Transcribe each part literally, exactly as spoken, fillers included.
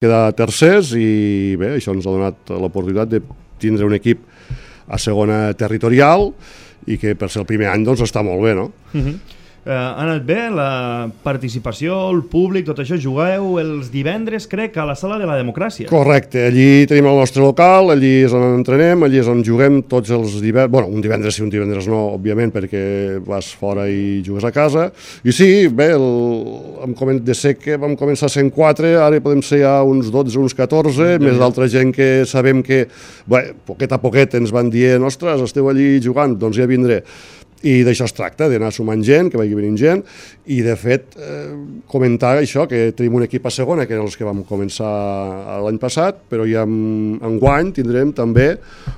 quedar tercers i bé, això ens ha donat l'oportunitat de tindre un equip a segona territorial i que per ser el primer any doncs està molt bé, no? Uh-huh. Uh, ha anat bé la participació, el públic, tot això. Jugueu els divendres, crec, a la Sala de la Democràcia. Correcte, allí tenim el nostre local, allí és on entrenem, allí és on juguem tots els divendres, bueno, un divendres sí, un divendres no, òbviament, perquè vas fora i jugues a casa, i sí, bé, el, de ser que vam començar sent quatre, ara podem ser ja uns dotze, uns catorze, més d'altra gent que sabem que, bé, poquet a poquet ens van dient, ostres, esteu allí jugant, doncs ja vindré. I d'això es tracta, d'anar sumant gent, que vagi venint gent, i de fet eh, comentar això, que tenim un equip a segona, que eren els que vam començar l'any passat, però ja en, enguany tindrem també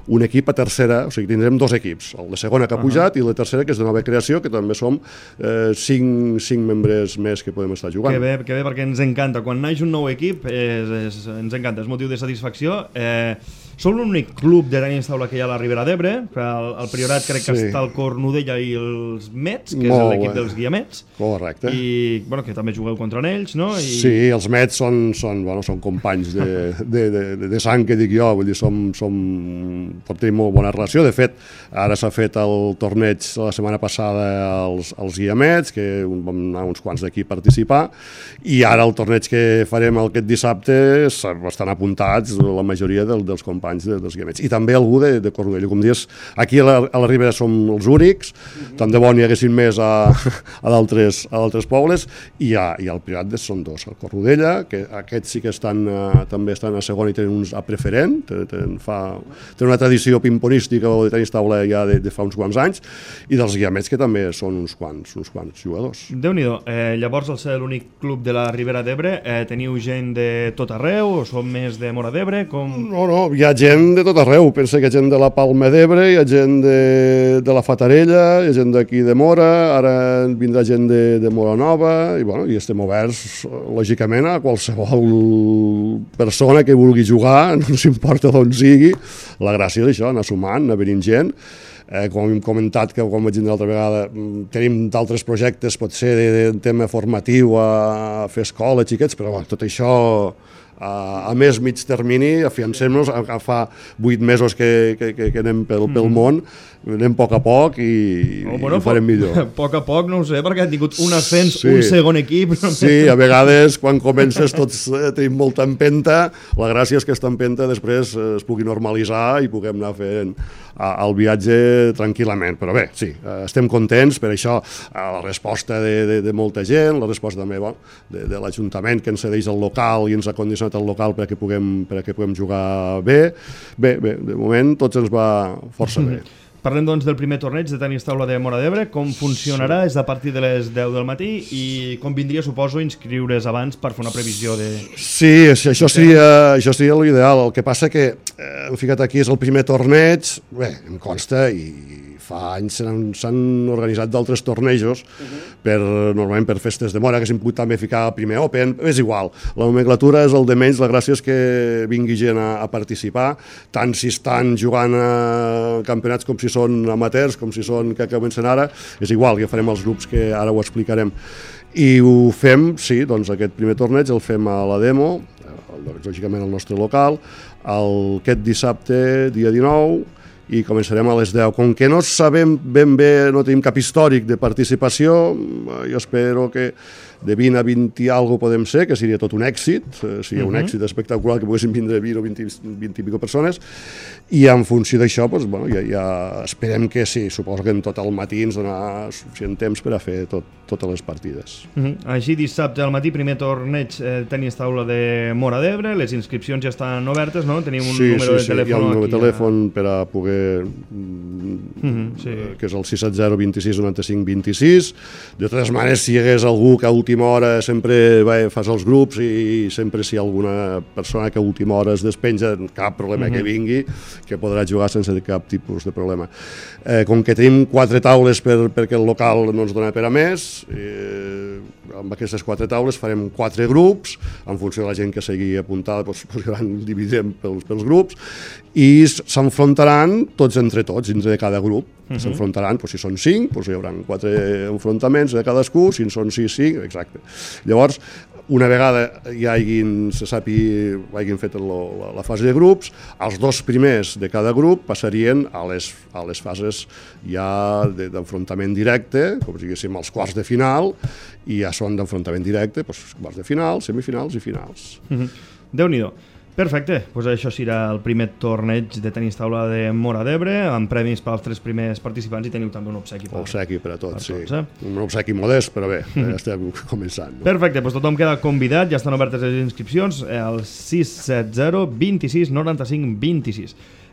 un equip a tercera, o sigui, tindrem dos equips, el de segona que ha pujat uh-huh. i la tercera que és de nova creació, que també som eh, cinc, cinc membres més que podem estar jugant. Que bé, que bé, perquè ens encanta. Quan naix un nou equip és, és, ens encanta, és motiu de satisfacció. Eh, Som l'únic club de tenis taula que hi ha a la Ribera d'Ebre. El, el Priorat crec sí. que està el Cornudella i els Mets, que Molt és l'equip bé. dels Guiamets. Correcte. I bueno, que també jugueu contra ells, no? I... Sí, els Mets són, són, bueno, són companys de, de, de, de sang, que dic jo, vull dir, som, som, tenim molt bona relació. De fet, ara s'ha fet el torneig la setmana passada als, als Guiamets, que vam anar uns quants d'aquí a participar, i ara el torneig que farem aquest dissabte estan apuntats la majoria del, dels companys de, dels Guiamets. I també algú de, de Cornudella. Com dius, aquí a la, a la Ribera som els únics, mm-hmm. tant de bo n'hi haguessin més a, a d'altres pobles, i, a, i al Priorat són dos. El Cornudella, que aquests sí que estan, uh, també estan a segona i tenen uns a preferent, tenen, fa, tenen una tradició pimponística o de tenis taula ja de, de fa uns quants anys, i dels Guiamets, que també són uns quants, uns quants jugadors. Déu-n'hi-do. Eh, llavors, al ser l'únic club de la Ribera d'Ebre, eh, teniu gent de tot arreu o som més de Móra d'Ebre? Com... No, no, hi ha gent de tot arreu. Pensa que hi ha gent de la Palma d'Ebre, hi ha gent de, de la Fatarella, hi ha gent d'aquí de Móra, ara vindrà gent de, de Móra Nova, i, bueno, i estem oberts, lògicament, a qualsevol persona que vulgui jugar, no s'importa d'on sigui. La gràcia és això, anar sumant, anar venint gent. Eh, com hem comentat, que com vaig dir l'altra vegada, tenim d'altres projectes, pot ser de, de tema formatiu, a fer escola, xiquets, però bueno, tot això... a més mig termini, afiancem-nos, fa vuit mesos que, que, que anem pel, pel món, anem a poc a poc i, oh, bueno, i ho farem millor. A poc a poc, no ho sé, perquè han tingut un ascens, sí. un segon equip. Sí, a vegades quan comences tots eh, tenim molta empenta, la gràcia és que aquesta empenta després eh, es pugui normalitzar i puguem anar fent a, el viatge tranquil·lament, però bé, sí, eh, estem contents per això, eh, la resposta de, de, de molta gent, la resposta també bueno, de, de l'Ajuntament que ens cedeix el local i ens ha condicionat el local perquè puguem, perquè puguem jugar bé. Bé, bé, de moment tots ens va força bé. Parlem doncs del primer torneig de tenis taula de Móra d'Ebre, com funcionarà, sí. És a partir de les deu del matí i com vindria, suposo, inscriure's abans per fer una previsió de... Sí, això seria, això seria l'ideal, el que passa que eh, hem ficat aquí, és el primer torneig, bé, em consta i fa anys s'han organitzat d'altres tornejos, uh-huh. per, normalment per festes de Móra, que s'han pogut també ficar a primer Open, és igual, la nomenclatura és el de menys, la gràcia és que vingui gent a, a participar, tant si estan jugant a campionats com si són amateurs, com si són que comencen ara, és igual, ja farem els grups que ara ho explicarem. I ho fem, sí, doncs aquest primer torneig el fem a la Demo, lògicament al nostre local, el, aquest dissabte, dia dinou, i començarem a les deu. Com que no sabem ben bé, no tenim cap històric de participació, jo espero que de vint a vint i alguna cosa podem ser, que seria tot un èxit, seria un èxit espectacular que poguessin vindre vint o vint i pico persones, i en funció d'això, doncs, bueno, ja, ja esperem que sí, suposo que en tot el matí ens donarà suficient temps per a fer tot, totes les partides. Uh-huh. Així, dissabte al matí, primer torneig eh, tenis taula de Móra d'Ebre, les inscripcions ja estan obertes, no? Tenim un sí, número sí, de sí, telèfon hi ha un número de telèfon a... per a poder... Uh-huh, sí. que és el sis set zero vint sis noranta-cinc vint-i-sis. De totes maneres, si hi hagués algú que a última hora sempre va, fas els grups i sempre si hi ha alguna persona que a última hora es despenja, cap problema uh-huh. que vingui, que podrà jugar sense cap tipus de problema. Eh, com que tenim quatre taules per, perquè el local no ens dona per a més, eh, amb aquestes quatre taules farem quatre grups, en funció de la gent que sigui apuntada, doncs, doncs dividirem pels, pels grups, i s'enfrontaran tots entre tots, dins de cada grup. Uh-huh. S'enfrontaran, doncs, si són cinc, doncs hi haurà quatre enfrontaments de cadascú, si en són sis, cinc, exacte. Llavors, una vegada hi hagin, se sàpi, hagin fet la, la, la fase de grups, els dos primers de cada grup passarien a les, a les fases ja d'enfrontament directe, com si diguéssim els quarts de final, i ja són d'enfrontament directe, doncs, quarts de final, semifinals i finals. Mm-hmm. Déu-n'hi-do. Perfecte, pues això serà el primer torneig de tenis taula de Móra d'Ebre, amb premis per als tres primers participants, i teniu també un obsequi. Per, obsequi per a tots, per sí. Tots, eh? Un obsequi modest, però bé, ja estem començant. No? Perfecte, doncs tothom queda convidat, ja estan obertes les inscripcions, al sis set zero vint sis noranta cinc vint sis.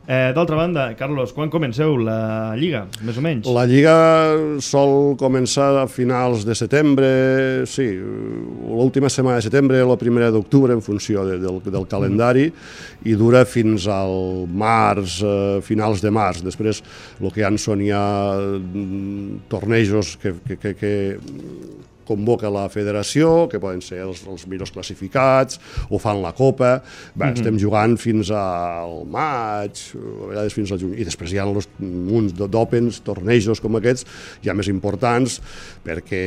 Eh, D'altra banda, Carlos, quan comenceu la Lliga, més o menys? La Lliga sol començar a finals de setembre, sí, l'última setmana de setembre o la primera d'octubre, en funció de, del, del calendari, mm. i dura fins al març, eh, finals de març. Després, el que hi ha són ja tornejos que, que, que, que convoca la federació, que poden ser els, els millors classificats, o fan la Copa. Bé, mm-hmm. Estem jugant fins al maig, a vegades fins al juny, i després hi ha els munts d'òpens, tornejos com aquests, ja més importants, perquè,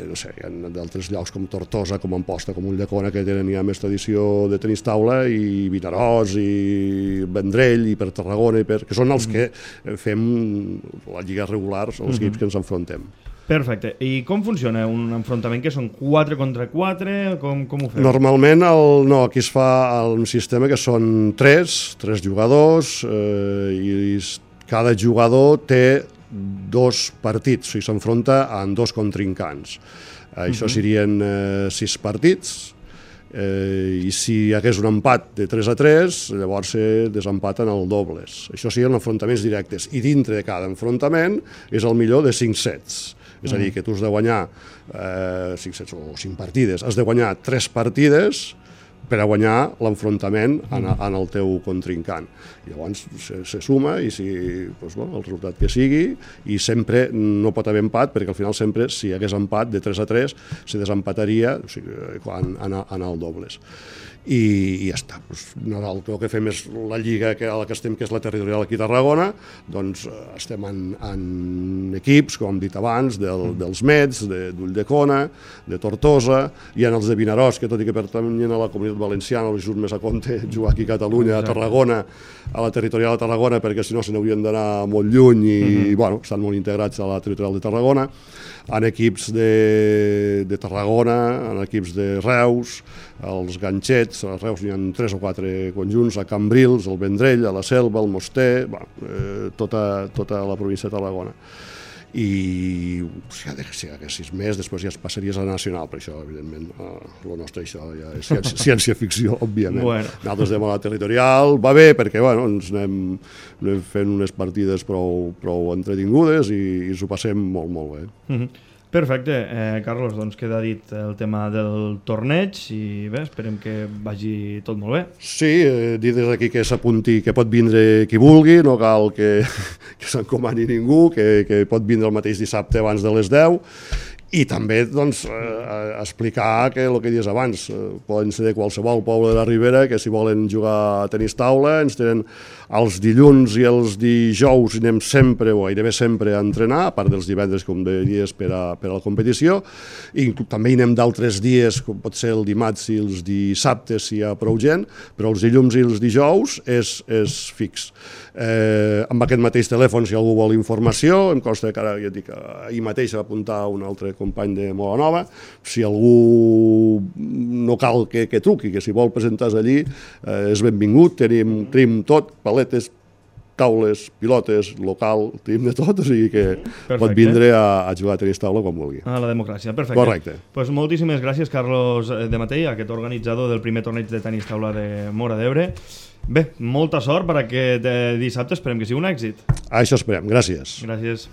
no sé, hi ha d'altres llocs com Tortosa, com Amposta, com Ulldecona, que tenen ja més tradició de tenis taula, i Vinaròs, i Vendrell, i per Tarragona, i per... que són els mm-hmm. que fem la lliga regular, els mm-hmm. equips que ens enfrontem. Perfecte. I com funciona un enfrontament? Que són quatre contra quatre? Com, com ho feu? Normalment el, no, aquí es fa un sistema que són tres, tres jugadors, eh, i cada jugador té dos partits, o sigui, s'enfronta en dos contrincants. Eh, això uh-huh. serien eh, sis partits, eh, i si hi hagués un empat de tres a tres, llavors se desempaten el dobles. Això serien enfrontaments directes, i dintre de cada enfrontament és el millor de cinc sets. És a dir, que tu has de guanyar eh, cinc sets o cinc partides, has de guanyar tres partides per a guanyar l'enfrontament en, en el teu contrincant. I llavors se, se suma i si, doncs, bueno, el resultat que sigui, i sempre no pot haver empat, perquè al final sempre, si hi hagués empat de tres a tres, se desempataria, o sigui, en, en, en el dobles. I, i ja està. Pues, no, el que fem és la lliga que, a la que estem, que és la territorial aquí a Tarragona, doncs estem en, en equips, com hem dit abans, del, dels Mets, d'Ulldecona, de, de Tortosa, i en els de Vinaròs, que tot i que pertanyen a la comunitat valenciana, els surt més a compte jugar aquí a Catalunya, a Tarragona, a la territorial de Tarragona, perquè si no se n'haurien d'anar molt lluny i, uh-huh. bueno, estan molt integrats a la territorial de Tarragona, en equips de, de Tarragona, en equips de Reus, els Ganxets, a Reus hi ha tres o quatre conjunts, a Cambrils, al Vendrell, a la Selva, al Moster, bueno, eh, tota, tota la província de Tarragona. I si hi hagués sis més, després ja es passaries a la nacional, per això, evidentment, el nostre això ja és ciència, ciència-ficció, òbviament. Bueno. Nosaltres anem a la territorial, va bé, perquè bueno, ens anem, anem fent unes partides prou, prou entretingudes i, i ens ho passem molt, molt bé. Mm-hmm. Perfecte, eh, Carlos, doncs queda dit el tema del torneig i bé, esperem que vagi tot molt bé. Sí, eh, dir des d'aquí que s'apunti, que pot vindre qui vulgui, no cal que, que s'encomani ningú, que, que pot vindre el mateix dissabte abans de les deu, i també doncs, eh, explicar que el que dius abans, eh, poden ser de qualsevol poble de la Ribera, que si volen jugar a tenis taula, ens tenen els dilluns i els dijous, i anem sempre, o gairebé sempre, a entrenar, a part dels divendres, com dies, per a, per a la competició, i també hi anem d'altres dies, com pot ser el dimarts i els dissabtes, si hi ha prou gent, però els dilluns i els dijous és, és fix. Eh, amb aquest mateix telèfon, si algú vol informació, em consta que ara, ja dic, ahir mateix va apuntar un altre company de Móra Nova, si algú no cal que, que truqui, que si vol presentar-se allí eh, és benvingut, tenim, tenim tot, paletes, taules, pilotes, local, tenim de tot, o sigui que perfecte. Pot vindre a, a jugar a tenis taula quan vulgui. A la democràcia, perfecte. Correcte. Pues moltíssimes gràcies, Carlos de Matei, aquest organitzador del primer torneig de tenis taula de Móra d'Ebre. Bé, molta sort per aquest dissabte, esperem que sigui un èxit. Això esperem, gràcies. Gràcies.